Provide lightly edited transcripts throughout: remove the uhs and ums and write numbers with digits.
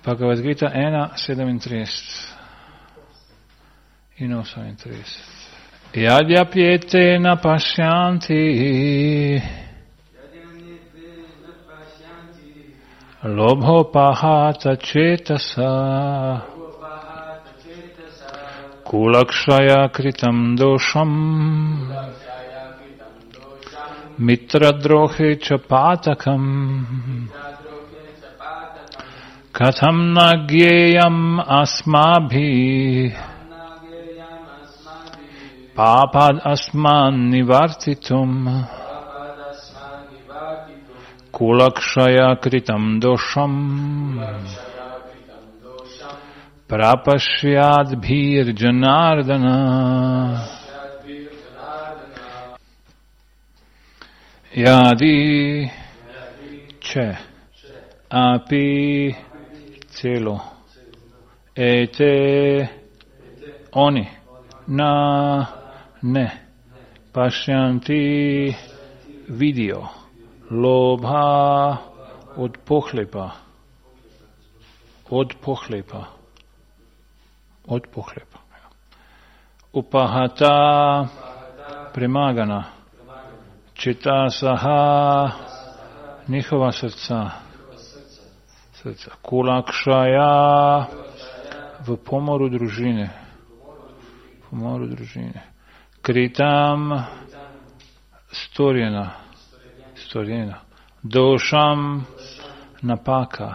Bhagavad Gita 1.37 in 38. Yadhyapyete na pashyanti lobhopahata cetasa kulakshaya kritam dosham mitradrohe cha patakam katham nagyeyam asmabhi papad asman nivartitum kulakshaya kritam dosham prapashyad bhir janardana yadi che api celo ete oni na ne pashyanti video lobha od pohlepa upahata premagana čitasaha njihova srca kulakšaja v pomoru družine kritam storjena došam napaka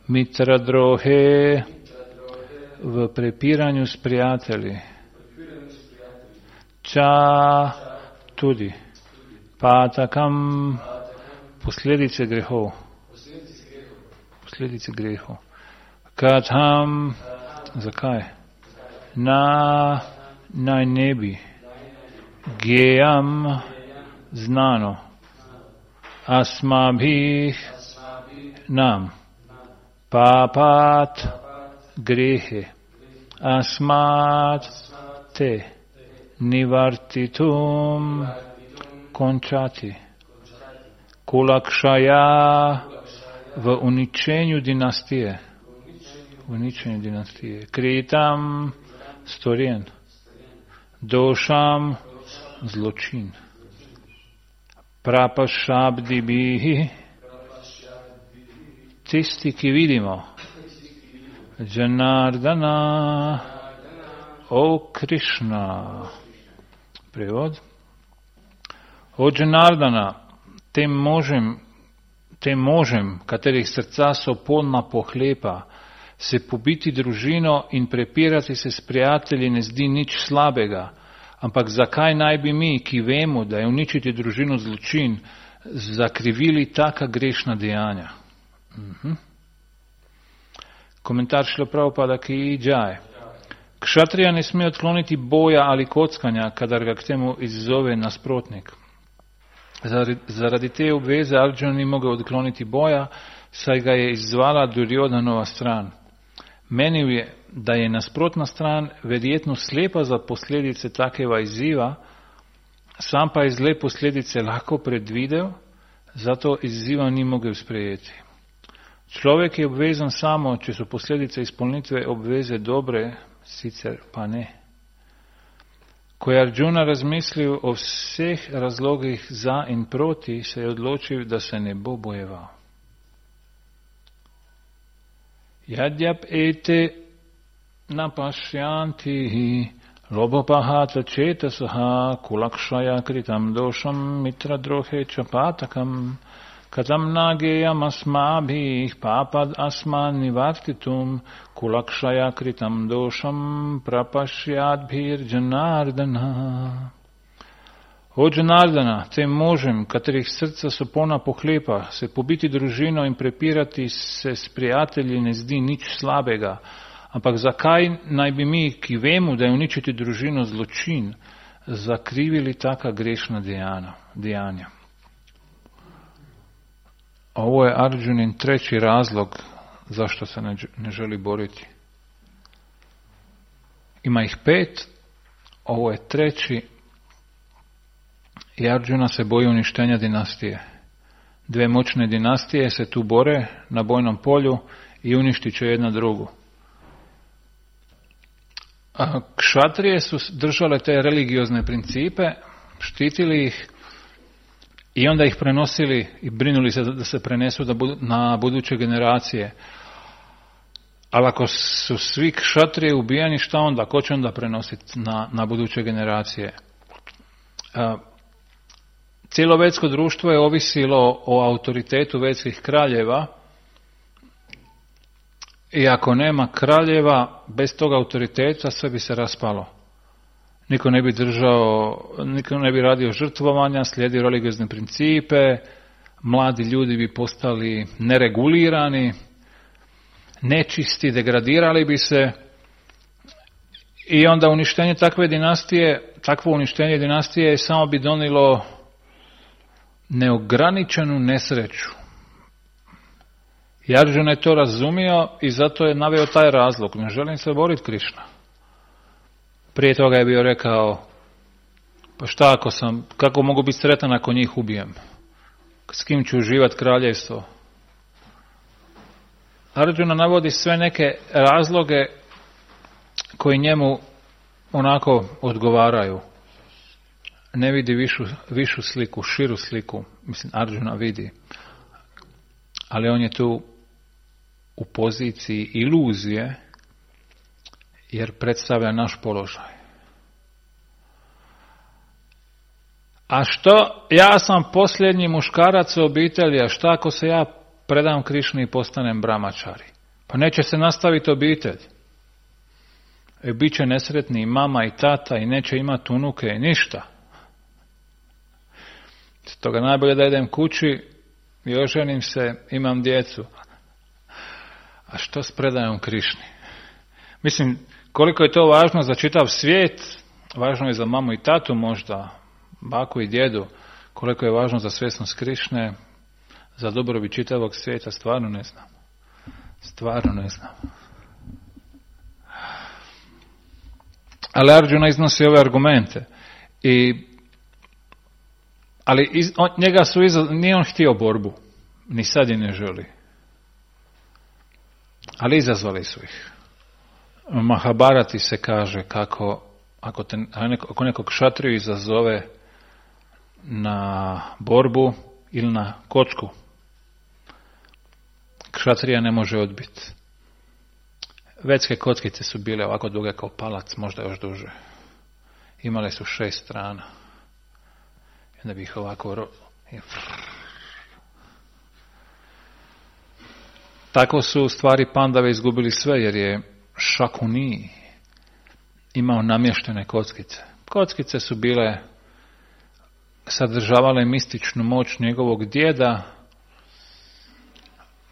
mitradrohe v prepiranju s prijatelji ča tudi patakam posledice grehov katham zakaj naj ne bi gejam znano asmabhih nam papat grehe asmat te nivartitum končati kulakšaja v uničenju dinastije kritam storjen došam zločin prapašabdi bihi tisti, ki vidimo Janardana o Krishna prevod o Janardana tem možem, katerih srca so polna pohlepa, se pobiti družino in prepirati se s prijatelji ne zdi nič slabega. Ampak zakaj naj bi mi, ki vemo, da je uničiti družino zločin, zakrivili taka grešna dejanja? Komentar Šrila Prabhupada ki Jai. Kšatrija ne sme odkloniti boja ali kockanja, kadar ga k temu izzove nasprotnik. Zaradi te obveze Arjuna ni mogel odkloniti boja, saj ga je izzvala Duryodanova stran. Menil je, da je nasprotna stran verjetno slepa za posledice takega izziva, sam pa je zle posledice lahko predvidel, zato izziva ni mogel sprejeti. Človek je obvezan samo, če so posledice izpolnitve obveze dobre, sicer pa ne. Ko je Arjuna razmislil o vseh razlogih za in proti, se je odločil, da se ne bo bojeval. Yadhyap ete napashyanti lobopahata cetasaha kulakshaya kritam dosham mitradrohe chapatakam katam nageyam asmabhih papad asman nivartitum kulakshaya kritam dosham prapashyadbhir janardana. O Janardana, tem možem, katerih srca so polna pohlepa, se pobiti družino in prepirati se s prijatelji ne zdi nič slabega. Ampak zakaj naj bi mi, ki vemo, da je uničiti družino zločin, zakrivili taka grešna dejanja? Ovo je Arjunin treći razlog zašto se ne želi boriti. Ima ih 5, ovo je treći. I Arjuna se boji uništenja dinastije. 2 moćne dinastije se tu bore na bojnom polju i uništit će jedna drugu. A kšatrije su držale te religiozne principe, štitili ih i onda ih prenosili i brinuli se da se prenesu na buduće generacije. Ali ako su svi kšatrije ubijani, šta onda? Ko će onda prenositi na buduće generacije? Cijelo vedsko društvo je ovisilo o autoritetu vedskih kraljeva i ako nema kraljeva, bez tog autoriteta sve bi se raspalo. Niko ne bi radio žrtvovanja, slijedio religiozne principe, mladi ljudi bi postali neregulirani, nečisti, degradirali bi se i onda uništenje takvo uništenje dinastije samo bi donijelo neograničenu nesreću. I Arjuna je to razumio i zato je naveo taj razlog. Ne želim se boriti Krišna. Prije toga je bio rekao, pa šta kako mogu biti sretan ako njih ubijem? S kim ću uživati kraljevstvo? Arjuna navodi sve neke razloge koji njemu onako odgovaraju. Ne vidi višu sliku, širu sliku. Mislim, Arjuna vidi. Ali on je tu u poziciji iluzije, jer predstavlja naš položaj. A što? Ja sam posljednji muškarac u obitelji, a šta ako se ja predam Krišni i postanem brahmačari? Pa neće se nastaviti obitelj. Bit će nesretni i mama i tata i neće imati unuke i ništa. Stoga najbolje da idem kući i oženim se, imam djecu. A što s predajom Krišni? Mislim, koliko je to važno za čitav svijet, važno je za mamu i tatu možda, baku i djedu, koliko je važno za svjesnost Krišne, za dobrobit čitavog svijeta, stvarno ne znam. Ali Arjuna iznosi ove argumente. Nije on htio borbu, ni sad je ne želi. Ali izazvali su ih. U Mahabharati se kaže kako ako nekog kšatriju izazove na borbu ili na kocku, kšatrija ne može odbiti. Vedske kockice su bile ovako duge kao palac, možda još duže. Imale su 6 strana. I onda bi ih ovako... Tako su u stvari pandave izgubili sve, jer je Šakuni imao namještene kockice. Kockice su bile, sadržavale mističnu moć njegovog djeda,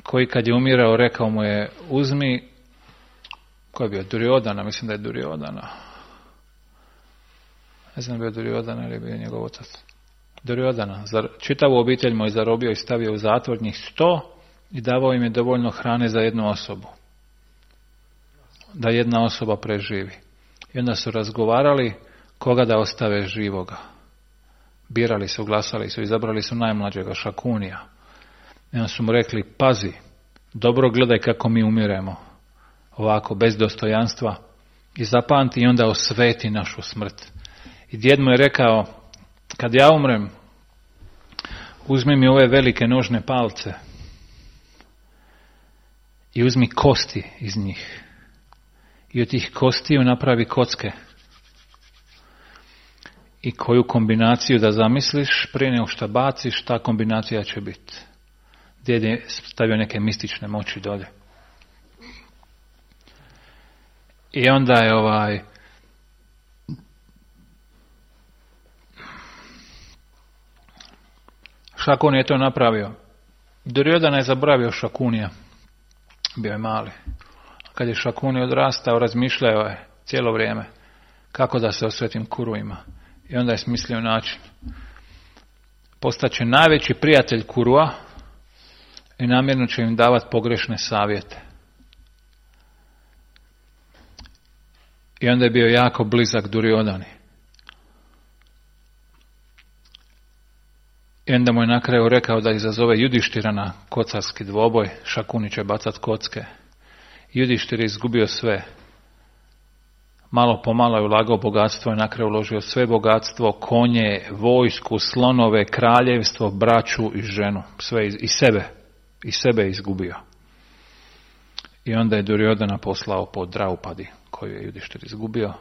koji kad je umirao rekao mu je uzmi, ko je bio, Duryodhana, mislim da je Duryodhana. Ne znam bio Duryodhana ili bio njegov otac. Duryodhana. Čitavu obitelj mu je zarobio i stavio u zatvor, njih 100, i davao im je dovoljno hrane za jednu osobu. Da jedna osoba preživi. I onda su razgovarali koga da ostave živoga. Birali su, glasali su, izabrali su najmlađega, Šakunija. I onda su mu rekli, pazi, dobro gledaj kako mi umiremo. Ovako, bez dostojanstva. I zapamti i onda osveti našu smrt. I djed mu je rekao, kad ja umrem, uzmi mi ove velike nožne palce i uzmi kosti iz njih. I od tih kostiju napravi kocke. I koju kombinaciju da zamisliš, prije nego što baciš, ta kombinacija će biti. Djed je stavio neke mistične moći dolje. I onda je Šakun je to napravio. Duryodhana je zaboravio Šakunija. Bio je mali. Kad je Šakuni odrastao, razmišljao je cijelo vrijeme kako da se osvetim Kuruima. I onda je smislio način. Postaće najveći prijatelj Kurua i namjerno će im davati pogrešne savjete. I onda je bio jako blizak Duryodhani. I onda mu je na kraju rekao da izazove Judištira na kocarski dvoboj, Šakuni će bacat kocke. Judištir je izgubio sve. Malo po malo je ulagao bogatstvo i na kraju uložio sve bogatstvo, konje, vojsku, slonove, kraljevstvo, braću i ženu. Sve i sebe je izgubio. I onda je Duryodhana poslao po Draupadi, koju je Judištir izgubio.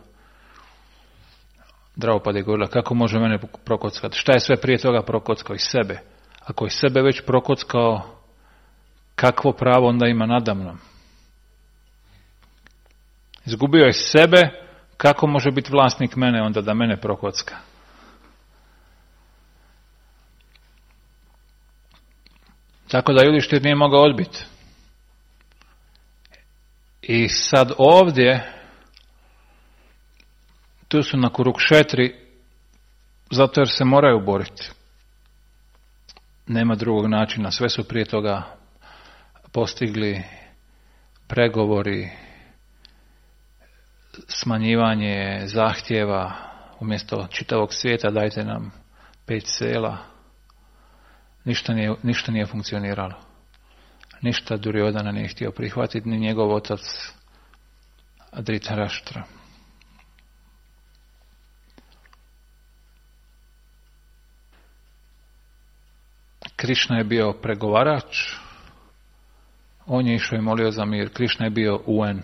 Draupadi je govorila, kako može mene prokockati? Šta je sve prije toga prokockao? I sebe. Ako je sebe već prokockao, kakvo pravo onda ima nadamnom? Izgubio je sebe, kako može biti vlasnik mene onda da mene prokocka? Tako da Judištir nije mogao odbiti. I sad ovdje, tu su na Kurukšetri, zato jer se moraju boriti. Nema drugog načina, sve su prije toga postigli pregovori, smanjivanje zahtjeva, umjesto čitavog svijeta dajte nam 5 sela. Ništa nije funkcioniralo. Ništa Duryodhana nije htio prihvatiti, ni njegov otac Dhritarashtra. Krišna je bio pregovarač, on je išao i molio za mir. Krišna je bio UN,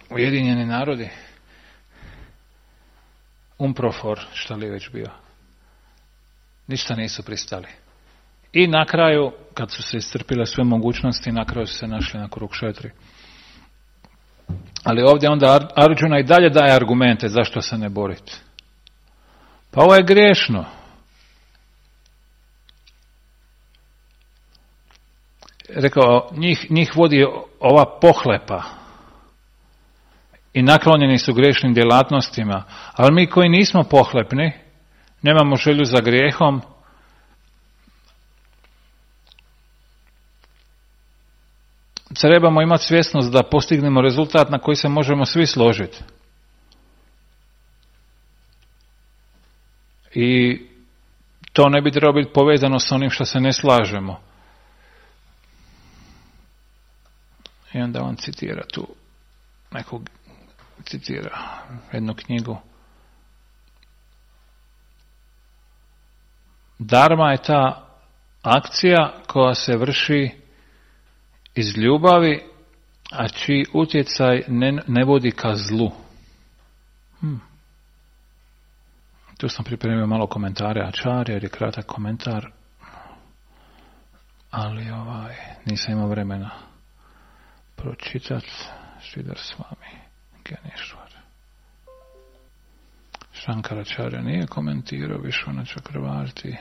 Ujedinjeni narodi, UNPROFOR, šta li je već bio. Ništa nisu pristali. I na kraju, kad su se iscrpile sve mogućnosti, na kraju su se našli na Kurukšetri. Ali ovdje onda Arjuna i dalje daje argumente zašto se ne boriti. Pa ovo je griješno. Rekao, njih vodi ova pohlepa i naklonjeni su grešnim djelatnostima, ali mi koji nismo pohlepni, nemamo želju za grijehom, trebamo imati svjesnost da postignemo rezultat na koji se možemo svi složiti. I to ne bi trebalo biti povezano s onim što se ne slažemo. I onda on citira jednu knjigu. Dharma je ta akcija koja se vrši iz ljubavi, a čiji utjecaj ne vodi ka zlu. Tu sam pripremio malo komentare Acharya, jer je kratak komentar, ali nisam imao vremena pročitati. Sridhar Swami Ganeshwar. Shankaracharya nije komentirao Vishwanath Chakravarti.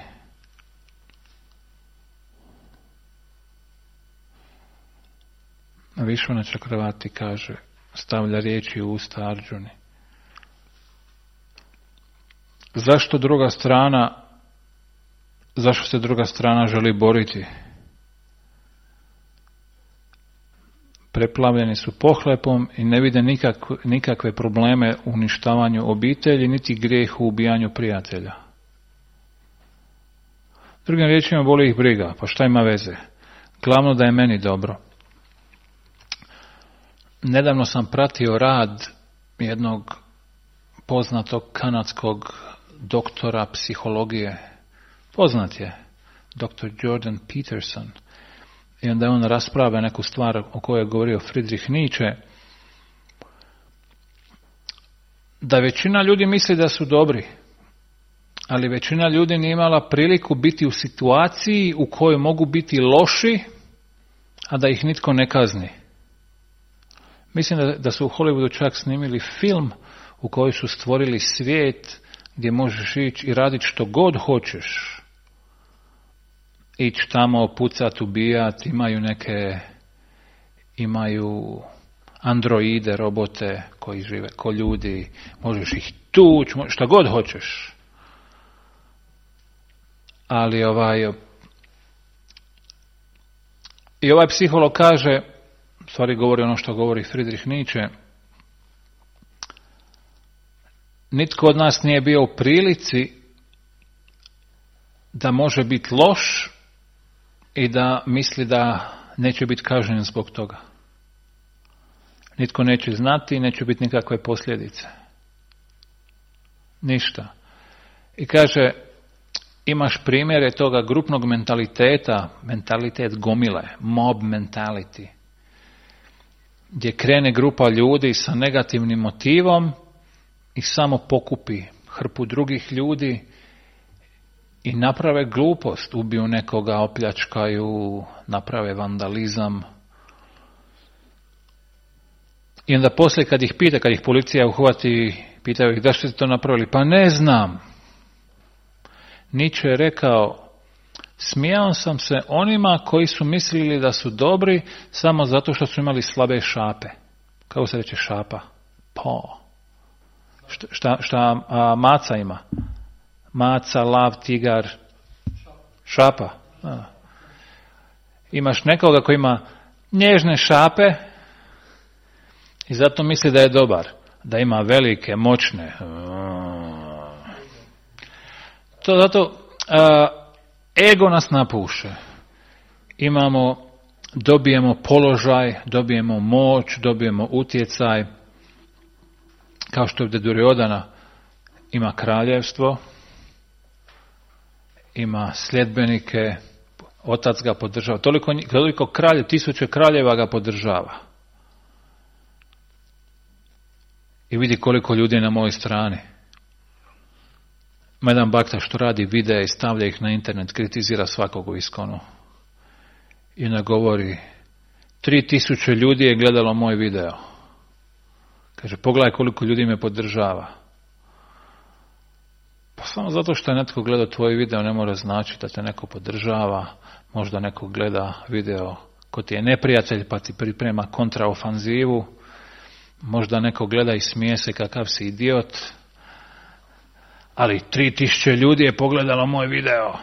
Vishwanath Chakravarti kaže, stavlja riječi u usta Arjuni. Zašto se druga strana želi boriti? Preplavljeni su pohlepom i ne vide nikakve probleme u uništavanju obitelji, niti grijeh u ubijanju prijatelja. Drugim riječima, boli ih briga, pa šta ima veze? Glavno da je meni dobro. Nedavno sam pratio rad jednog poznatog kanadskog doktora psihologije. Poznat je, dr. Jordan Peterson. I onda on raspravlja neku stvar o kojoj je govorio Friedrich Nietzsche, da većina ljudi misli da su dobri, ali većina ljudi nije imala priliku biti u situaciji u kojoj mogu biti loši, a da ih nitko ne kazni. Mislim da su u Hollywoodu čak snimili film u kojoj su stvorili svijet gdje možeš ići i raditi što god hoćeš. Ići tamo, pucat, ubijat, imaju androide, robote koji žive ko ljudi, možeš ih tući, šta god hoćeš. Ali i ovaj psiholog kaže, stvari govori ono što govori Friedrich Nietzsche, nitko od nas nije bio u prilici da može biti loš i da misli da neće biti kažnjen zbog toga. Nitko neće znati i neće biti nikakve posljedice. Ništa. I kaže, imaš primjere toga grupnog mentaliteta, mentalitet gomile, mob mentality, gdje krene grupa ljudi sa negativnim motivom i samo pokupi hrpu drugih ljudi i naprave glupost, ubiju nekoga, opljačkaju, naprave vandalizam. I onda poslije kad ih pita, kad ih policija uhvati, pitaju ih da ste to napravili, pa ne znam. Nietzsche je rekao, smijao sam se onima koji su mislili da su dobri samo zato što su imali slabe šape. Kako se reče šapa? Šta maca ima? Maca, lav, tigar, šapa. Imaš nekoga koji ima nježne šape i zato misli da je dobar, da ima velike, moćne. To zato ego nas napuše. Dobijemo položaj, dobijemo moć, dobijemo utjecaj. Kao što je ovdje Duryodhana ima kraljevstvo, ima sljedbenike, otac ga podržava. Toliko kralje, 1000 kraljeva ga podržava. I vidi koliko ljudi je na mojoj strani. Ima jedan bakta što radi videe i stavlja ih na internet, kritizira svakog u Iskonu. I onda govori, 3000 ljudi je gledalo moj video. Kaže, pogledaj koliko ljudi me podržava. Pa samo zato što je netko gledao tvoj video ne mora značiti da te neko podržava. Možda neko gleda video ko ti je neprijatelj pa ti priprema kontraofanzivu. Možda neko gleda i smije se kakav si idiot. Ali 3000 ljudi je pogledalo moj video.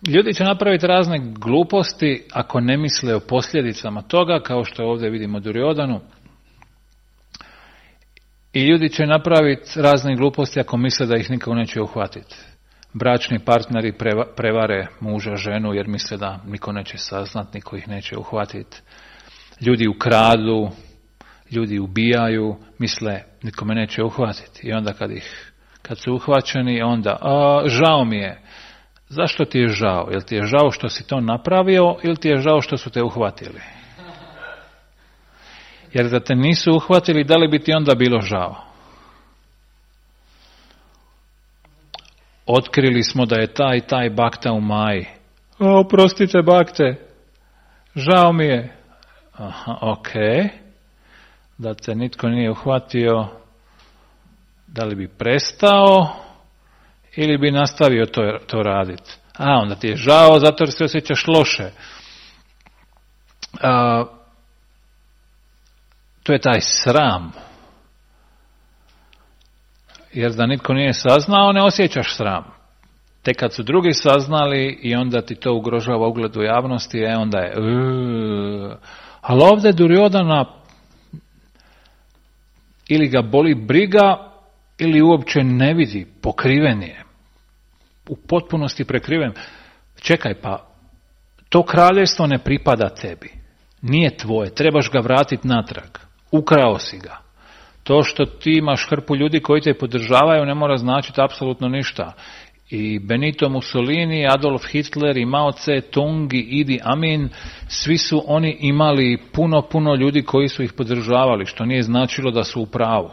Ljudi će napraviti razne gluposti ako ne misle o posljedicama toga, kao što ovdje vidimo Duryodhanu. I ljudi će napraviti razne gluposti ako misle da ih nikako neće uhvatiti. Bračni partneri prevare muža, ženu jer misle da niko neće saznat, niko ih neće uhvatiti. Ljudi ukradu, ljudi ubijaju, misle niko me neće uhvatiti. I onda kad su uhvaćeni, onda žao mi je. Zašto ti je žao? Jel ti je žao što si to napravio ili ti je žao što su te uhvatili? Jer da te nisu uhvatili, da li bi ti onda bilo žao? Otkrili smo da je taj bakta u Maji. Oprostite bakte, žao mi je. Ok. Da te nitko nije uhvatio, da li bi prestao ili bi nastavio to raditi? Onda ti je žao zato jer se osjećaš loše. To je taj sram. Jer da nitko nije saznao, ne osjećaš sram. Tek kad su drugi saznali i onda ti to ugrožava ugled u javnosti, onda je... Ali ovdje Duryodhana ili ga boli briga, ili uopće ne vidi, pokriven je. U potpunosti prekriven. Čekaj, pa to kraljevstvo ne pripada tebi. Nije tvoje, trebaš ga vratiti natrag. Ukrao si ga. To što ti imaš hrpu ljudi koji te podržavaju ne mora značiti apsolutno ništa. I Benito Mussolini, Adolf Hitler, i Mao Tse-tung, i Idi Amin, svi su oni imali puno ljudi koji su ih podržavali, što nije značilo da su u pravu.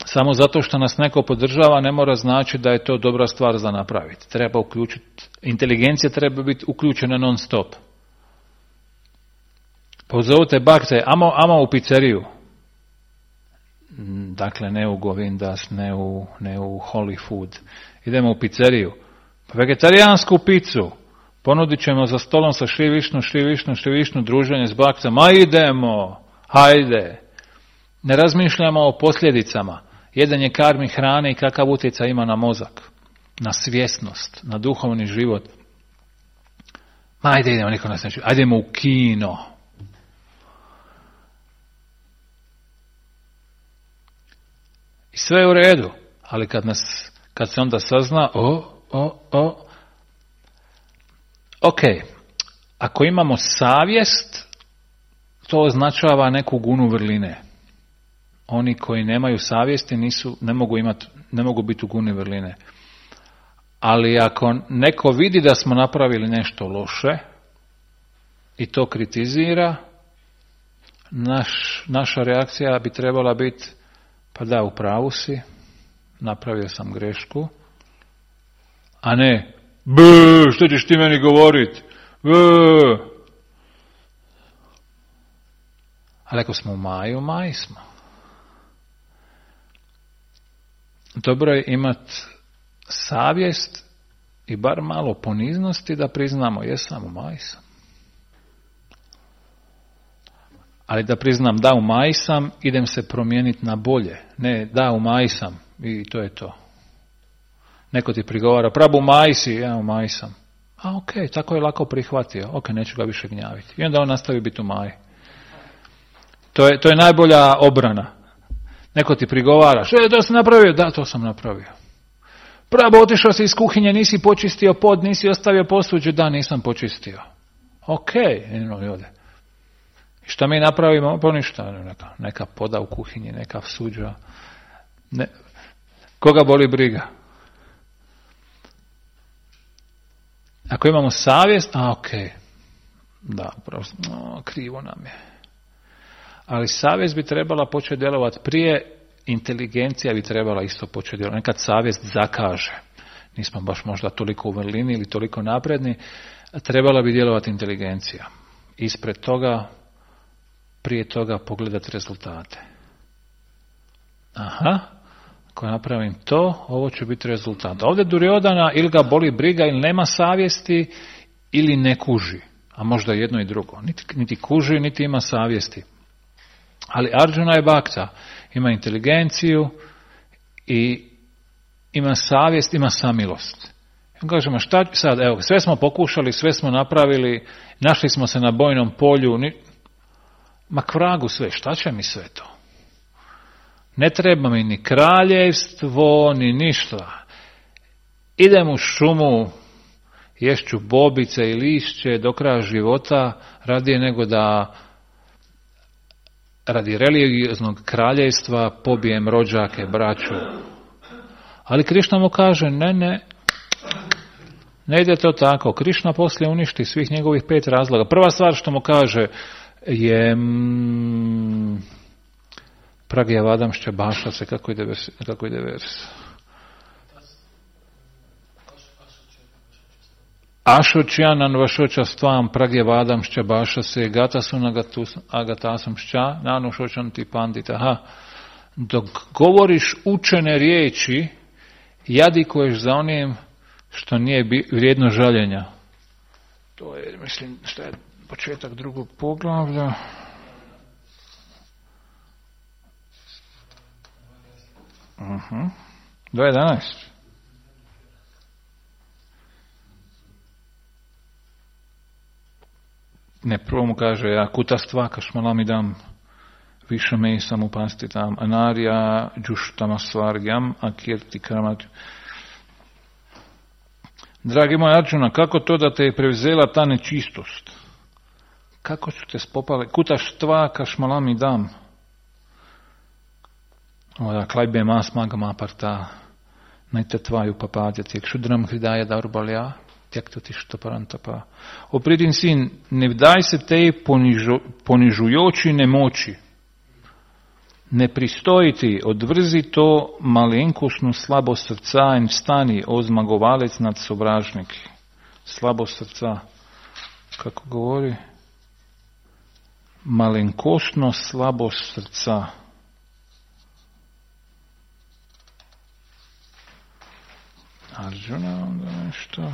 Samo zato što nas neko podržava ne mora značiti da je to dobra stvar za napraviti. Treba uključiti, inteligencija treba biti uključena non stop. Pozovite bakte, amo u pizzeriju. Dakle, ne u Govindas, ne u Holy Food. Idemo u pizzeriju. Vegetarijansku picu. Ponudit ćemo za stolom sa Šri Višnu, druženje s bakcama. Idemo, hajde. Ne razmišljamo o posljedicama. Jedan je karmi hrane i kakav utjecaj ima na mozak, na svjesnost, na duhovni život. Ajde, idemo, niko nas neće. Ajdemo u kino. I sve je u redu, ali kad se onda sazna, Ok, ako imamo savjest, to označava neku gunu vrline. Oni koji nemaju savjesti ne mogu biti u guni vrline. Ali ako neko vidi da smo napravili nešto loše i to kritizira, naša reakcija bi trebala biti, pa da, u pravu si, napravio sam grešku, a ne, što ćeš ti meni govoriti? Ali ako smo u maji smo. Dobro je imati savjest i bar malo poniznosti da priznamo, jesam, u maji sam. Ali da priznam, da, u maji sam, idem se promijeniti na bolje. Ne, da, u maji sam i to je to. Neko ti prigovara, prabu, u maji si, ja u maji sam. A ok, tako je lako prihvatio, ok, neću ga više gnjaviti. I onda on nastavi biti u maji. To je najbolja obrana. Neko ti prigovara, što je to sam napravio? Da, to sam napravio. Pravo, otišao si iz kuhinje, nisi počistio pod, nisi ostavio posuđe, da, nisam počistio. Ok, ode. I šta mi napravimo? Pa ništa, neka poda u kuhinji, neka suđa. Koga boli briga? Ako imamo savjest, ok, da, upravo, krivo nam je. Ali savjest bi trebala početi djelovati prije, inteligencija bi trebala isto početi djelovati. Nekad savjest zakaže. Nismo baš možda toliko u vrlini ili toliko napredni. Trebala bi djelovati inteligencija. Ispred toga, prije toga pogledati rezultate. Aha, ako napravim to, ovo će biti rezultat. Ovdje Duryodhana ili ga boli briga ili nema savjesti ili ne kuži. A možda jedno i drugo. Niti kuži, niti ima savjesti. Ali Arjuna je bakta, ima inteligenciju i ima savjest, ima samilost. I kažemo, šta sad, evo, sve smo pokušali, sve smo napravili, našli smo se na bojnom polju, ma k vragu sve, šta će mi sve to? Ne treba mi ni kraljevstvo, ni ništa. Idem u šumu, ješću bobice i lišće do kraja života, radije nego da radi religioznog kraljevstva pobijem rođake, braću. Ali Krišna mu kaže, ne ide to tako. Krišna poslije uništi svih njegovih 5 razloga. Prva stvar što mu kaže je Pragya Vadamšća Baša se, kako ide vers? Ašočjanan vašoča stvam Pragya Vadamšća Baša se gata su agatasam šća nanušočan ti pandita. Aha, dok govoriš učene riječi, jadikuješ za onim što nije vrijedno žaljenja. To je, mislim, što je početak drugog poglavlja. Uh-huh. 2.11. Ne, prvo mu kaže, ja kutastva kašmalamidam višame sam upastitam anarja džuštama svargjam akirti kramat. Dragi moj Arjuna, kako to da te je prevzela ta nečistost? Kako su te spopale? Kutaštva kašmalamidam. Klajbe mas magama parta najte tvaju papadjati kšudram hridaja darbalja. Opridin sin, ne vdaj se tej ponižujoči nemoči. Ne pristoji ti, odvrzi to malenkostnu slabost srca in vstani, o zmagovalec nad sovražniki. Slabost srca. Kako govori? Malenkostno slabost srca. Arjuna onda nešto...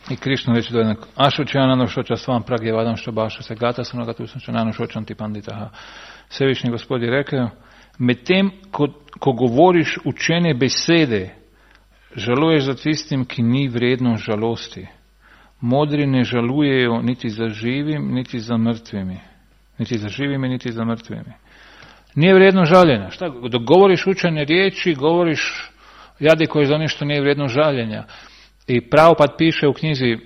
I Krišna reći do jednog, Ašočjanano šoča svam Pragya Vadamšća Baša se gata sam nagatu sančanano šočan ti panditaha. Svevišnji Gospod je rekao, medtem ko govoriš učene besede, žaluješ za tistim, ki ni vredno žalosti. Modri ne žalujejo niti za živim, niti za mrtvimi. Niti za živimi, niti za mrtvimi. Nije vredno žaljenja. Šta? Dok govoriš učene riječi, govoriš Jadi koji za nešto nije vrijedno žaljenja. I Prabhupada piše u knjizi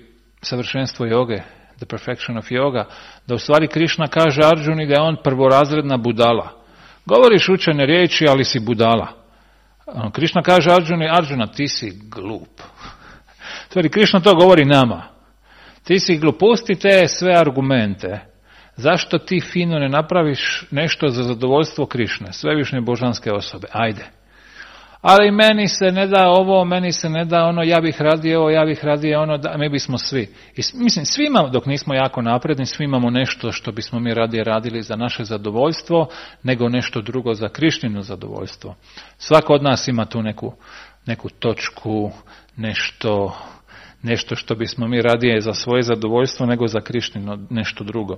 Savršenstvo joge, The Perfection of Yoga, da u stvari Krišna kaže Arjuni da je on prvorazredna budala. Govoriš učene riječi, ali si budala. Krišna kaže Arjuna, ti si glup. U stvari Krišna to govori nama. Ti si glup, pusti te sve argumente. Zašto ti fino ne napraviš nešto za zadovoljstvo Krišne, svevišnje božanske osobe? Ajde. Ali meni se ne da ovo, meni se ne da ono, ja bih radio ovo, ja bih radio ono, da, mi bismo svi. I, mislim, svi imamo, dok nismo jako napredni, svi imamo nešto što bismo mi radije radili za naše zadovoljstvo, nego nešto drugo za Krišnino zadovoljstvo. Svako od nas ima tu neku točku, nešto što bismo mi radije za svoje zadovoljstvo, nego za Krišnino nešto drugo.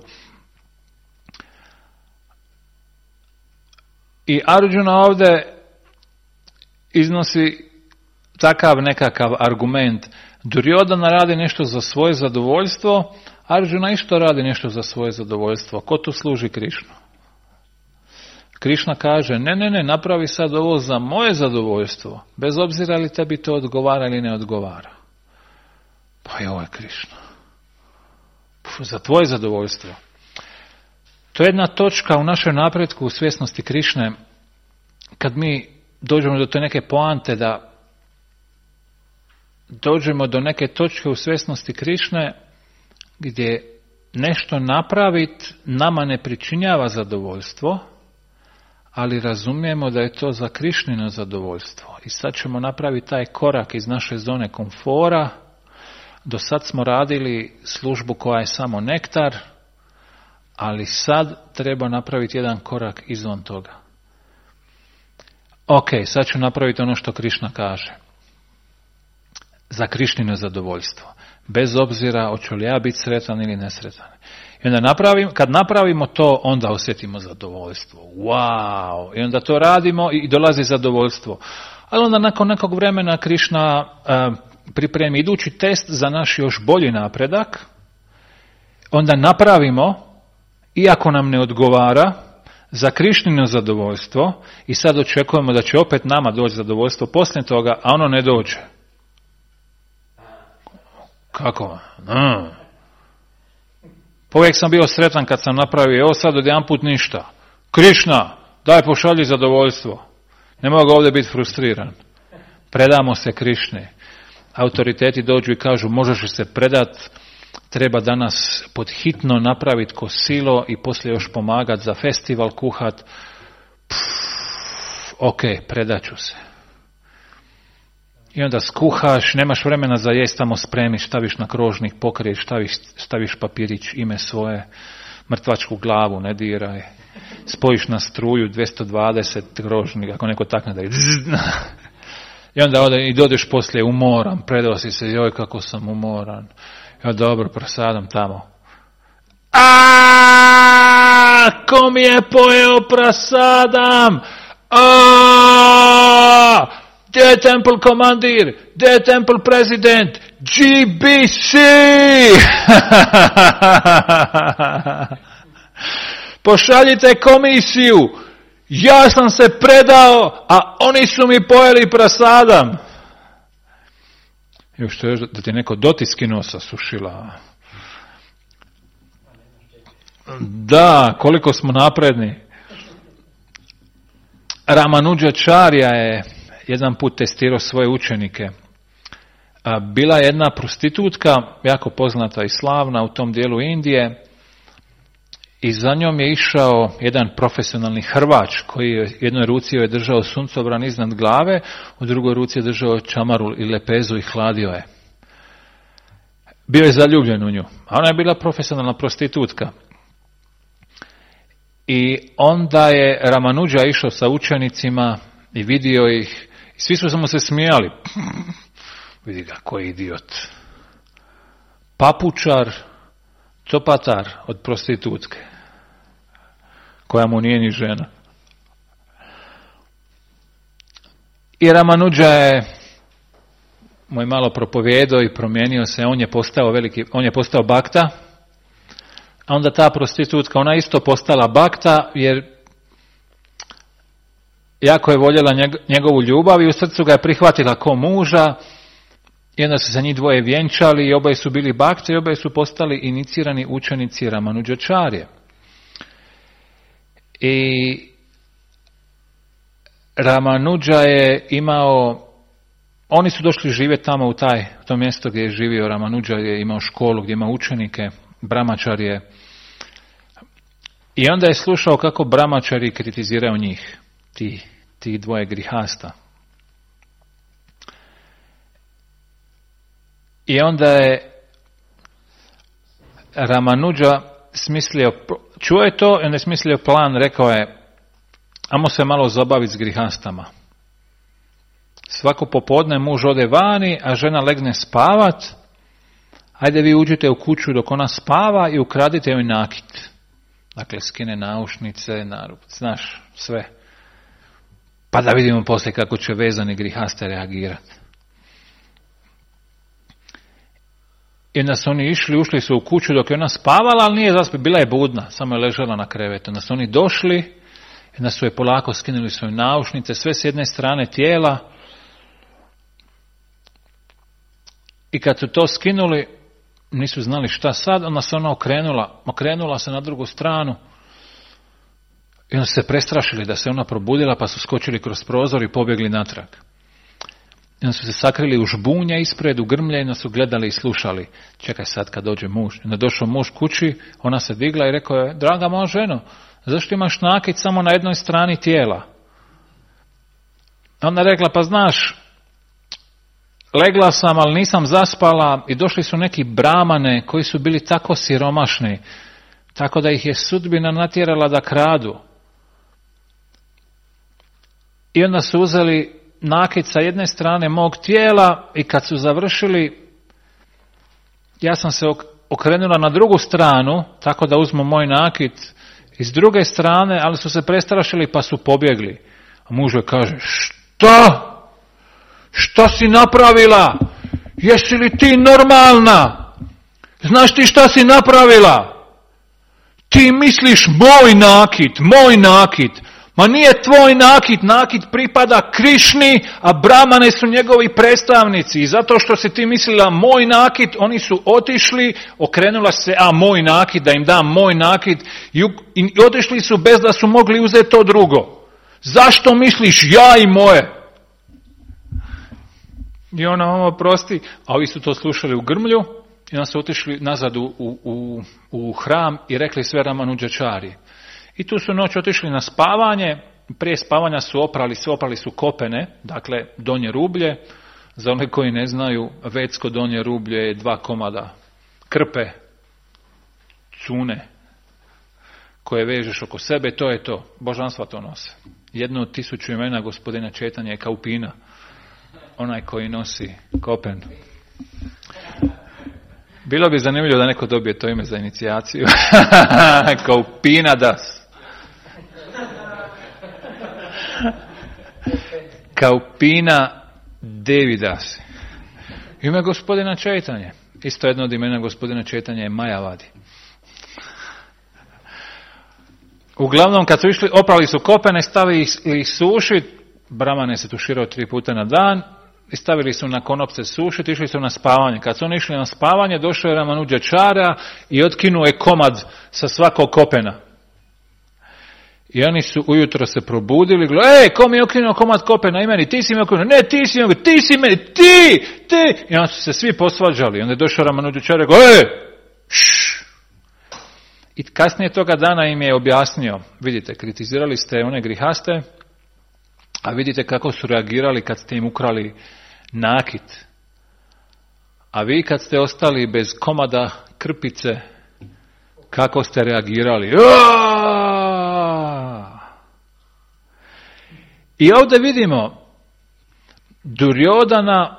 I Arjuna ovdje iznosi takav nekakav argument. Duryodhana radi nešto za svoje zadovoljstvo, Arjuna isto radi nešto za svoje zadovoljstvo. Ko tu služi Krišnu? Krišna kaže, ne, napravi sad ovo za moje zadovoljstvo, bez obzira li tebi to odgovara ili ne odgovara. Pa i ovo je Krišna. Za tvoje zadovoljstvo. To je jedna točka u našem napretku u svjesnosti Krišne, kad mi dođemo do te neke poante da dođemo do neke točke u svjesnosti Krišne gdje nešto napraviti nama ne pričinjava zadovoljstvo, ali razumijemo da je to za Krišnino zadovoljstvo. I sad ćemo napraviti taj korak iz naše zone komfora. Do sad smo radili službu koja je samo nektar, ali sad treba napraviti jedan korak izvan toga. Ok, sad ću napraviti ono što Krišna kaže. Za Krišnino zadovoljstvo. Bez obzira hoću li ja biti sretan ili nesretan. I onda kad napravimo to, onda osjetimo zadovoljstvo. Wow! I onda to radimo i dolazi zadovoljstvo. Ali onda nakon nekog vremena Krišna pripremi idući test za naš još bolji napredak. Onda napravimo, iako nam ne odgovara, za Krišnino zadovoljstvo i sad očekujemo da će opet nama doći zadovoljstvo poslije toga, a ono ne dođe. Kako? Uvijek sam bio sretan kad sam napravio, evo sad odjedanput ništa. Krišna, daj pošalji zadovoljstvo. Ne mogu ovdje biti frustriran. Predamo se Krišni. Autoriteti dođu i kažu, možeš li se predat, treba danas podhitno napraviti ko silo i poslije još pomagati za festival, kuhat. Ok, predaću se. I onda skuhaš, nemaš vremena za jest, tamo spremiš, staviš na krožnik, pokriješ, staviš papirić, ime svoje, mrtvačku glavu, ne diraj. Spojiš na struju 220 krožnika, ako neko takne da je. I onda i dođeš poslije umoran, predao si se, joj kako sam umoran. Ja dobro, prasadam tamo. Ko mi je pojeo prasadam? Gdje je temple komandir? Gdje je temple prezident? GBC! Pošaljite komisiju. Ja sam se predao, a oni su mi pojeli prasadam. Još što je da ti neko dotiski nosa sušila. Da, koliko smo napredni. Ramanuđačarja je jedan put testirao svoje učenike. Bila je jedna prostitutka, jako poznata i slavna u tom dijelu Indije, i za njom je išao jedan profesionalni hrvač koji je u jednoj ruci je držao suncobran iznad glave, u drugoj ruci je držao čamaru i lepezu i hladio je. Bio je zaljubljen u nju, a ona je bila profesionalna prostitutka. I onda je Ramanuđa išao sa učenicima i vidio ih, i svi su mu se smijali. Vidi ga, koji idiot. Papučar, copatar od prostitutke, koja mu nije ni žena. I Ramanuđa mu je malo propovijedao i promijenio se, on je postao bakta, a onda ta prostitutka, ona isto postala bakta, jer jako je voljela njegovu ljubav i u srcu ga je prihvatila ko muža. I onda su se njih dvoje vjenčali i oboje su bili bakte i oboje su postali inicirani učenici Ramanuđačarje. I Ramanuđa je imao, oni su došli živjeti tamo u to mjesto gdje je živio Ramanuđa, je imao školu gdje ima učenike, brahmačarje. I onda je slušao kako brahmačari kritiziraju njih, ti dvoje grihasta. I onda je Ramanuđa smislio, čuo je to i onda je smislio plan, rekao je, ajmo se malo zabaviti s grihastama. Svako popodne muž ode vani, a žena legne spavat, ajde vi uđite u kuću dok ona spava i ukradite joj nakit. Dakle, skine naušnice, znaš, sve. Pa da vidimo poslije kako će vezani grihaste reagirati. I onda su oni ušli su u kuću dok je ona spavala, ali nije zaspala, bila je budna, samo je ležala na krevetu. Onda su oni došli, i onda su je polako skinuli svoje naušnice, sve s jedne strane tijela. I kad su to skinuli, nisu znali šta sad, onda se ona okrenula se na drugu stranu. I onda su se prestrašili da se ona probudila, pa su skočili kroz prozor i pobjegli natrag. I onda su se sakrili u žbunja ispred, u grmlje, i onda su gledali i slušali. Čekaj sad kad dođe muž. I onda došao muž kući, ona se digla i rekao je, draga moja ženo, zašto imaš nakit samo na jednoj strani tijela? Onda rekla, pa znaš, legla sam, ali nisam zaspala i došli su neki bramane koji su bili tako siromašni, tako da ih je sudbina natjerala da kradu. I onda su uzeli nakit sa jedne strane mog tijela i kad su završili, ja sam se okrenula na drugu stranu, tako da uzmu moj nakit iz druge strane, ali su se prestrašili pa su pobjegli. A muž joj kaže, šta? Šta si napravila? Jesi li ti normalna? Znaš ti šta si napravila? Ti misliš moj nakit. Ma nije tvoj nakit pripada Krišni, a Brahmane su njegovi predstavnici. I zato što si ti mislila moj nakit, oni su otišli, okrenula se, moj nakit, da im dam moj nakit, i otišli su bez da su mogli uzeti to drugo. Zašto misliš ja i moje? I ona oprosti, a ovi su to slušali u grmlju i onda su otišli nazad u hram i rekli sve Ramanuđačari. I tu su noć otišli na spavanje, prije spavanja su oprali su kopene, dakle donje rublje. Za one koji ne znaju, vedsko donje rublje je 2 komada krpe, cune, koje vežeš oko sebe, to je to. Božanstva to nose. Jedno od 1000 imena gospodina Četanja je Kaupina, onaj koji nosi kopen. Bilo bi zanimljivo da neko dobije to ime za inicijaciju. Kaupina das. Kaupina Devidas. Ime gospodina Četanje. Isto jedno od imena gospodina Četanja je Majavadi. Uglavnom, kad su išli, oprali su kopene, stavili ih sušit, Brahmane se tuširao 3 puta na dan, i stavili su na konopce sušit, išli su na spavanje. Kad su oni išli na spavanje, došao je Ramanuđačara i otkinuo je komad sa svakog kopena. I oni su ujutro se probudili, ko mi je okinuo komad kopena i meni, ti si mi okinuo, ne, ti si meni, ti! I onda su se svi posvađali. Onda je došao Ramanuđačar i rekao, I kasnije toga dana im je objasnio, vidite, kritizirali ste one grihaste, a vidite kako su reagirali kad ste im ukrali nakit. A vi kad ste ostali bez komada krpice, kako ste reagirali? I ovdje vidimo, Duryodhana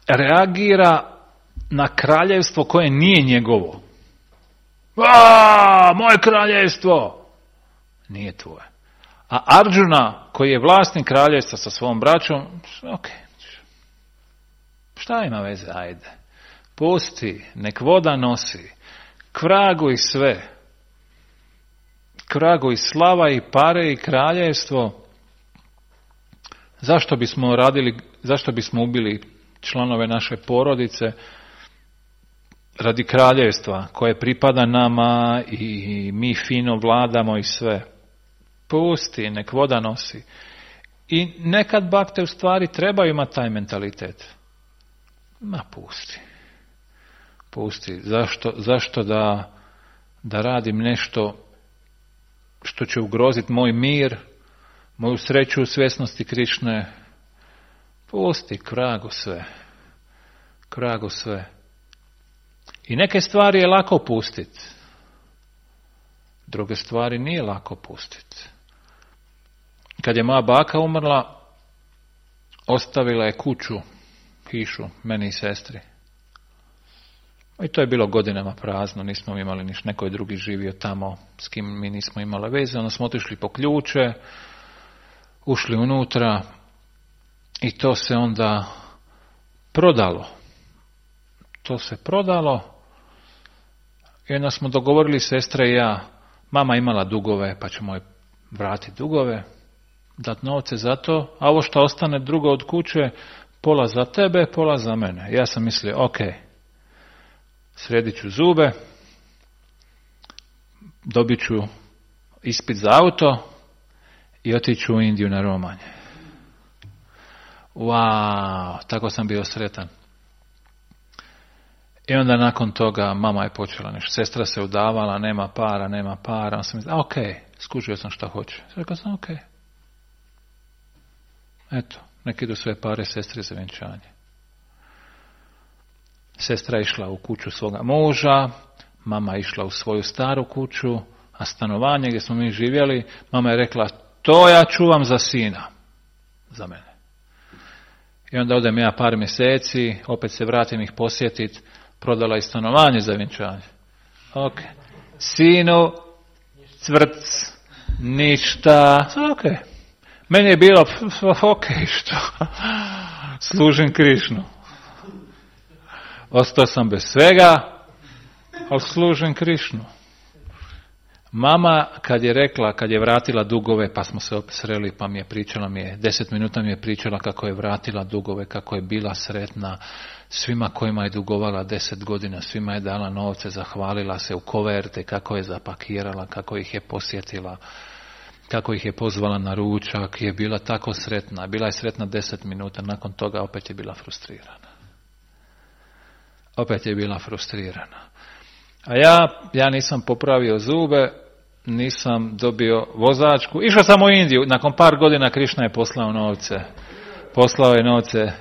reagira na kraljevstvo koje nije njegovo. Moje kraljevstvo! Nije tvoje. A Arjuna, koji je vlasnik kraljevstva sa svom braćom, šta ima veze, ajde. Pusti, nek voda nosi, kvragu i sve. Kvragu i slava i pare i kraljevstvo. zašto bismo ubili članove naše porodice radi kraljevstva koje pripada nama i mi fino vladamo i sve. Pusti, nek voda nosi. I nekad bakte u stvari trebaju imati taj mentalitet. Ma pusti. Zašto da radim nešto što će ugroziti moj mir, moju sreću u svjesnosti Krišne? Pusti, kragu sve. I neke stvari je lako pustiti. Druge stvari nije lako pustiti. Kad je moja baka umrla, ostavila je kuću, hišu, meni i sestri. I to je bilo godinama prazno, nismo imali ništa, neko je drugi živio tamo s kim mi nismo imali veze, onda smo otišli po ključe, ušli unutra i to se onda prodalo. I onda smo dogovorili, sestra i ja, mama imala dugove, pa ćemo joj vratiti dugove, dati novce za to, a ovo što ostane drugo od kuće, pola za tebe, pola za mene. Ja sam mislio, ok, sredit ću zube, dobit ću ispit za auto i otiću u Indiju na romanje. Wow, tako sam bio sretan. I onda nakon toga mama je počela nešto. Sestra se udavala, nema para. On sam mislio, ok, skužio sam šta hoće. Rekao sam, ok. Eto, nek idu sve pare sestri za vjenčanje. Sestra je išla u kuću svoga muža, mama je išla u svoju staru kuću, a stanovanje gdje smo mi živjeli, mama je rekla, to ja čuvam za sina, za mene. I onda odem ja par mjeseci, opet se vratim ih posjetiti, prodala i stanovanje za vjenčanje. Ok. Sinu, cvrc, ništa. Ok. Meni je bilo, ok, što? Služim Krišnu. Ostao sam bez svega, ali služim Krišnu. Mama kad je vratila dugove, pa smo se opet sreli, pa mi je pričala, 10 minuta mi je pričala kako je vratila dugove, kako je bila sretna, svima kojima je dugovala 10 godina, svima je dala novce, zahvalila se u koverte, kako je zapakirala, kako ih je posjetila, kako ih je pozvala na ručak, je bila tako sretna. Bila je sretna 10 minuta, nakon toga opet je bila frustrirana. A ja nisam popravio zube, nisam dobio vozačku. Išao sam u Indiju, nakon par godina Krišna je poslao novce. Poslao je novce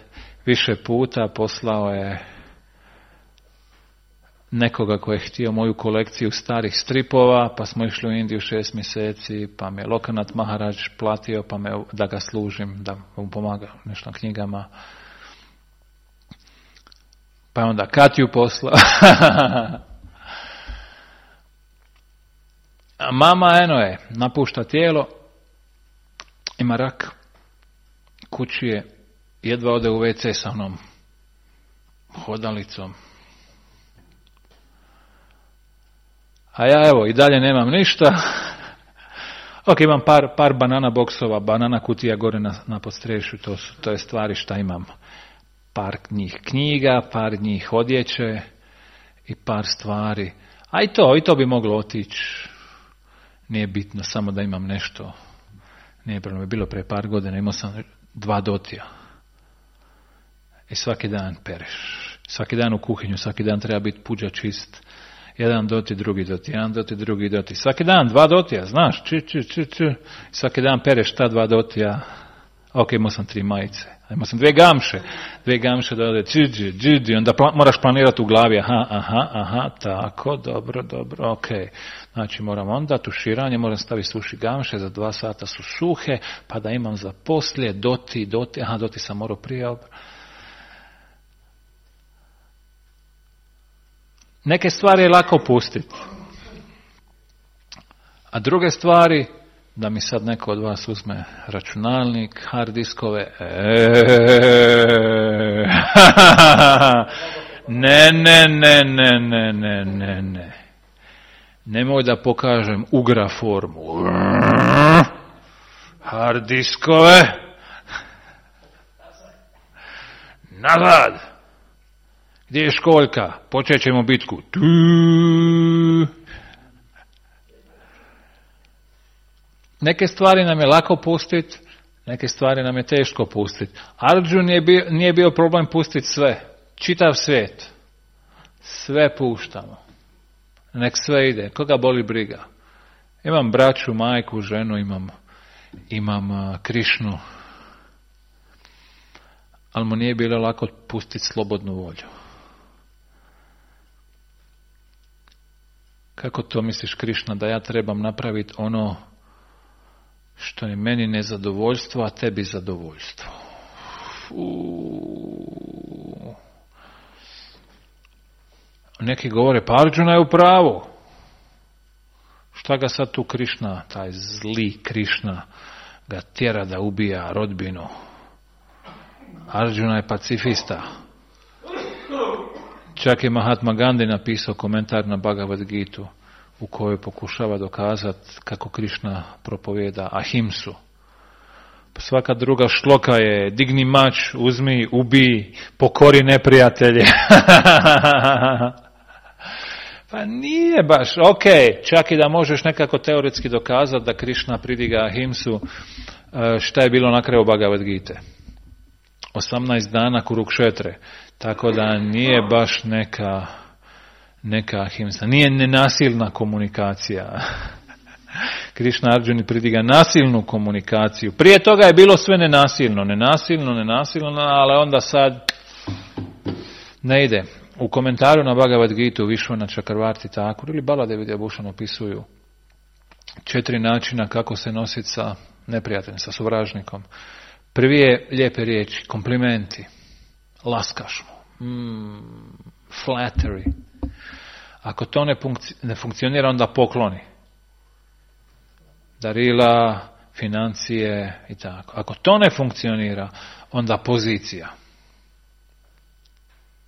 više puta, poslao je nekoga koji je htio moju kolekciju starih stripova, pa smo išli u Indiju 6 mjeseci, pa me Lokanath Maharaj platio, pa da ga služim, da mu pomaga nešto na knjigama. Pa je onda Katju poslao. A mama, napušta tijelo, ima rak, kući je, jedva ode u WC sa onom hodalicom. A ja i dalje nemam ništa. Ok, imam par banana boksova, banana kutija gore na podstrešju, to je stvari šta imam. Par njih knjiga, par njih odjeće i par stvari. A i to bi moglo otići. Nije bitno, samo da imam nešto. Nije problem, bilo pre par godina, imao sam 2 dotija. I svaki dan pereš. Svaki dan u kuhinju, svaki dan treba biti puđa čist. Jedan doti, drugi doti, jedan doti, drugi doti. Svaki dan 2 dotija, znaš, svaki dan pereš ta 2 dotija. Ok, imao sam 3 majice. Imao sam 2 gamše da ode onda moraš planirati u glavi, aha, tako, dobro, ok. Znači moram onda tuširanje, moram staviti suši gamše, za 2 sata su suhe, pa da imam za poslije, doti, sam morao prije. Neke stvari je lako pustiti. A druge stvari, da mi sad neko od vas uzme računalnik, hard diskove, ne. Nemoj da pokažem ugra formu. Hard diskove. nazad! Gdje je školjka? Počet ćemo bitku. Neke stvari nam je lako pustiti, neke stvari nam je teško pustiti. Arjun nije bio problem pustiti sve. Čitav svijet. Sve puštamo. Nek sve ide. Koga boli briga? Imam braću, majku, ženu, imam Krišnu. Ali mu nije bilo lako pustiti slobodnu volju. Kako to misliš, Krišna, da ja trebam napraviti ono što je meni nezadovoljstvo, a tebi zadovoljstvo? Neki govore, pa Arjuna je u pravu. Šta ga sad tu Krišna, taj zli Krišna, ga tjera da ubija rodbinu? Arjuna je pacifista. Čak je Mahatma Gandhi napisao komentar na Bhagavad Gitu u kojoj pokušava dokazati kako Krišna propovjeda ahimsu. Pa svaka druga šloka je digni mač, uzmi, ubij, pokori neprijatelje. Pa nije baš, ok, čak i da možeš nekako teoretski dokazati da Krišna pridiga ahimsu, šta je bilo na kraju Bhagavad Gite? 18 dana Kurukšetre, tako da nije baš neka ahimsa, nije nenasilna komunikacija. Krišna Arjuni pridiga nasilnu komunikaciju. Prije toga je bilo sve nenasilno, ali onda sad ne ide. U komentaru na Bhagavad Gitu Vishwanath Chakravarti Thakur ili Baladevi Bhushan opisuju 4 načina kako se nositi sa neprijateljem, sa suvražnikom. Prvi je lijepe riječi, komplimenti, laskaš mu, flattery. Ako to ne funkcionira, onda pokloni. Darila, financije i tako. Ako to ne funkcionira, onda pozicija.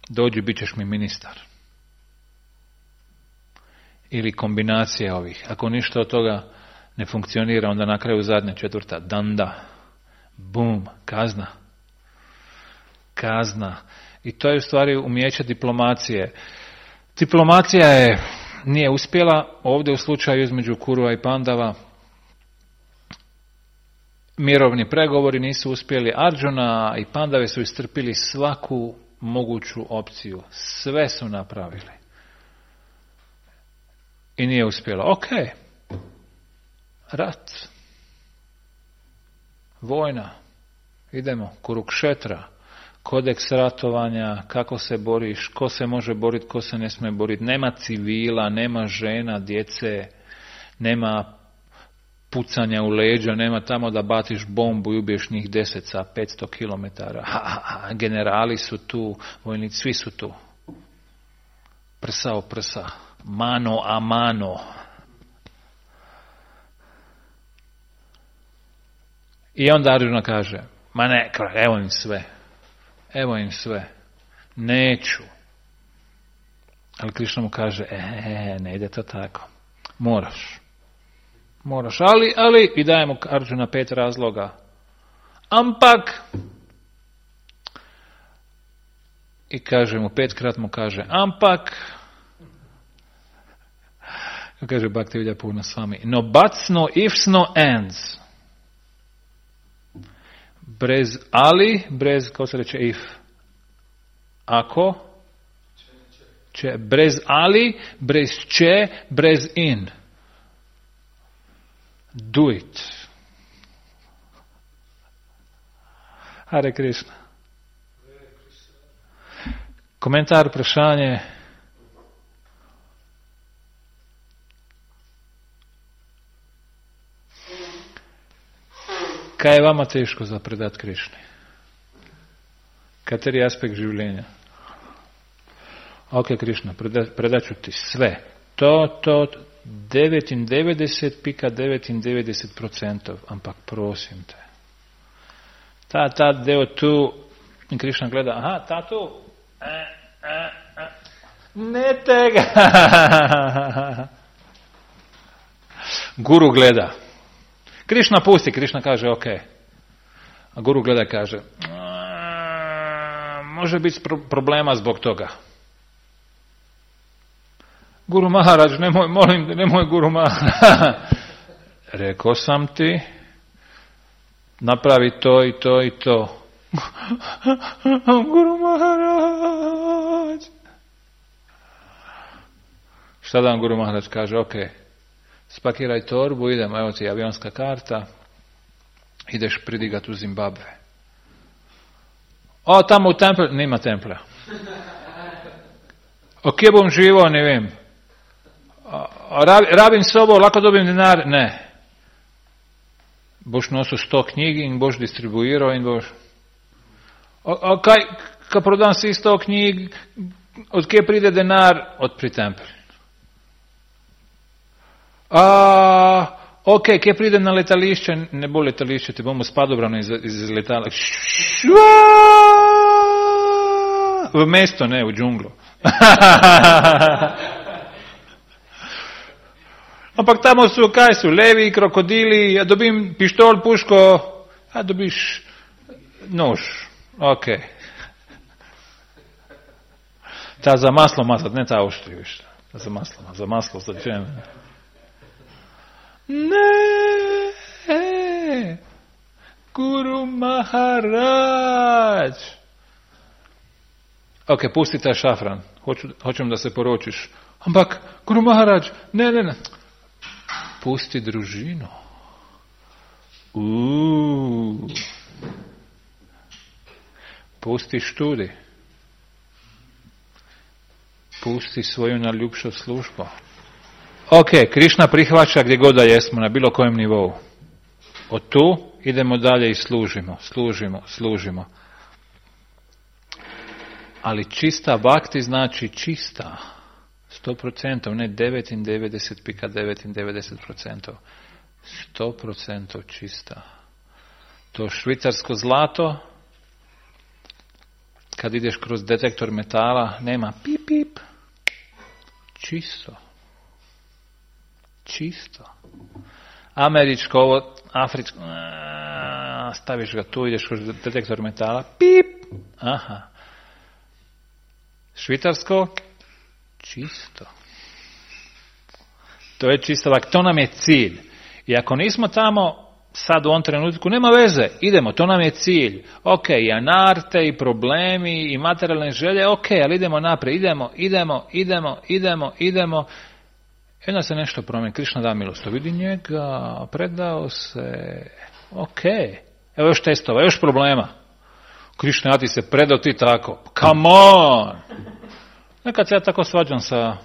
Dođi, bit ćeš mi ministar. Ili kombinacija ovih. Ako ništa od toga ne funkcionira, onda na kraju zadnja 4. danda. Bum, kazna. I to je u stvari umijeće diplomacije. Diplomacija nije uspjela ovdje u slučaju između Kurua i Pandava. Mirovni pregovori nisu uspjeli. Arjuna i Pandave su istrpili svaku moguću opciju. Sve su napravili. I nije uspjelo. Ok. Rat. Vojna. Idemo. Kurukšetra. Kodeks ratovanja. Kako se boriš. Ko se može boriti. Ko se ne smije boriti. Nema civila. Nema žena. Djece. Nema pucanja u leđa. Nema tamo da batiš bombu i ubiješ njih 10 sa 500 km. Generali su tu. Vojnici. Svi su tu. Prsa o prsa. Mano a mano. I onda Arjuna kaže, ma ne, evo im sve, neću. Ali Krišna mu kaže, ne ide to tako, moraš, ali, i daje mu Arjuna 5 razloga. Ampak, i kaže mu, 5 mu kaže, ampak, kaže Bhaktivedanta Purna Swami, no buts, no ifs, no ands. Brez ali, kako se reče if? Ako? Če. Brez ali, brez če, brez in. Do it. Hare Krishna. Komentar, vprašanje. Kaj je vama teško za predat Krišni? Kateri aspekt življenja? Ok, Krišna, predat ću ti sve. To 99,99%, ampak prosim te. Ta deo tu, in Krišna gleda, aha, ta tu, ne tega. Guru gleda. Krišna pusti, Krišna kaže ok. A Guru gleda i kaže, može biti problema zbog toga. Guru Maharaj, nemoj Guru Maharaj. Rekao sam ti, napravi to i to i to. Guru Maharaj. Šta da vam Guru Maharaj kaže? Ok, spakiraj torbu, idemo, evo ti avionska karta, ideš pridigat u Zimbabve. O, tamo u templu, nima templa. O, kje bom živo, ne vem. Rabim sobo, lahko dobim denar? Ne. Boš nosil 100 knjig in boš distribuiral in boš... Kaj prodam si 100 knjig, od kje pride denar? Od pri templu. Ok, kje pride na letališče? Ne bo letališče, te bomo s padobranom iz letala. V mesto, ne, v džunglu. Ampak tamo su, kaj su, levi, krokodili, ja dobim pištol, puško, a dobiš nož. Ok. Ta za maslo mazat, ne ta oštri više. Za maslo, za čem. Ne, Guru Maharaj. Ok, pusti taj šafran. Hoćem da se poročiš. Ampak, Guru Maharaj, ne. Pusti družinu. Pusti študij. Pusti svoju najljubšu službu. Ok, Krišna prihvaća gdje god da jesmo, na bilo kojem nivou. Od tu idemo dalje i služimo. Ali čista bhakti znači čista. 100%, ne 99,9%. 100% čista. To švicarsko zlato, kad ideš kroz detektor metala, nema pip pip. Čisto. Američko, ovo, afričko, staviš ga tu, ideš kroz detektor metala, pip. Aha. Švicarsko, čisto. To je čisto, to nam je cilj. I ako nismo tamo, sad u ovom trenutku, nema veze, idemo, to nam je cilj. Ok, i anarte, i problemi, i materijalne želje, ok, ali idemo naprijed, idemo. I onda se nešto promijeni. Krišna da milost, vidi njega, predao se, ok. Evo još testova, još problema. Krišna, ja ti se predao, ti tako. Come on! Nekad se ja tako svađam sa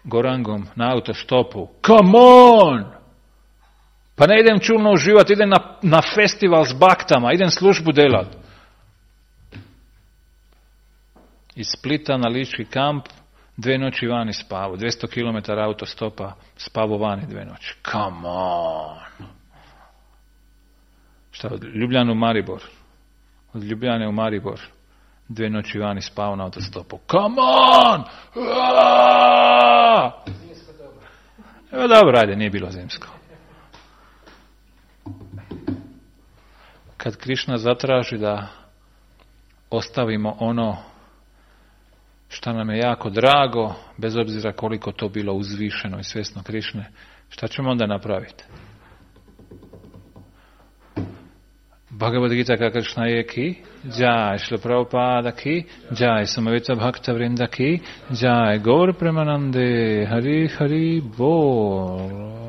Gorangom na autostopu. Come on! Pa ne idem čulno uživati, idem na festival s baktama, idem službu delat. Iz Splita na Lički kamp, 2 noći vani spavu, 200 km autostopa, spavu vani 2 noći. Come on! Šta, od Ljubljane u Maribor? Od Ljubljane u Maribor, 2 noći vani spavu na autostopu. Come on! Zimsko dobro. Evo dobro, ajde, nije bilo zimsko. Kad Krišna zatraži da ostavimo ono što nam je jako drago, bez obzira koliko to bilo uzvišeno i svjesno Krišne, šta ćemo onda napraviti? Bhagavad Gita ka Krishna je ki, Jai Šrila Prabhupada ki, Jai Samavita Bhakta Vrinda ki, Jai Gaur Premanande, Hari Hari Bol.